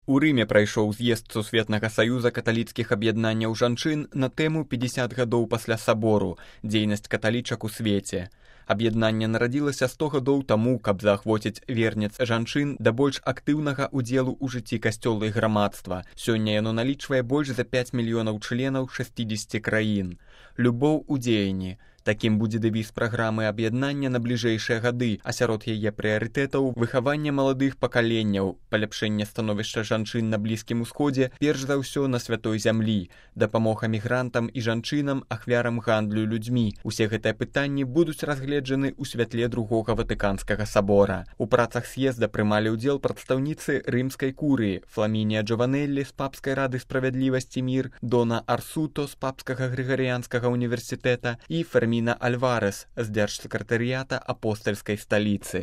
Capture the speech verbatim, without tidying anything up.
У Рыме прайшоў з'езд Сусветнага саюза каталіцкіх аб'яднанняў жанчын на тэму пятьдесят гадоў пасля сабору «Дзейнасць каталічак у свеце». Аб'яднанне нарадзілася сто гадоў таму, каб заахвоціць вернец жанчын да больш актыўнага ўдзелу ў жыцці касцёла і грамадства. Сёння яно налічвае больш за пяць мільёнаў членаў шэсцідзесяці краін. Любоў у дзеянні. Такім будзе дэвіз праграмы аб'яднання на бліжэйшыя гады, а сярод яе прыярытэтаў выхаванне маладых пакаленняў, паляпшэнне становішча жанчын на Блізкім Усходзе, перш за ўсё на святой зямлі, дапамога мігрантам і жанчынам, ахвярам гандлю людзьмі. Усе гэтыя пытанні будуць разгледжаны ў святле другога Ватыканскага сабора. У працах з'езда прымалі ўдзел прадстаўніцы рымскай курыі Фламінія Джованеллі з Папскай рады справядлівасці мір, Дона Арсуто з Папскага Грыгарыянскага універсітэта і Ферміна Альварес з дзяржсакратарыята апостальскай сталіцы.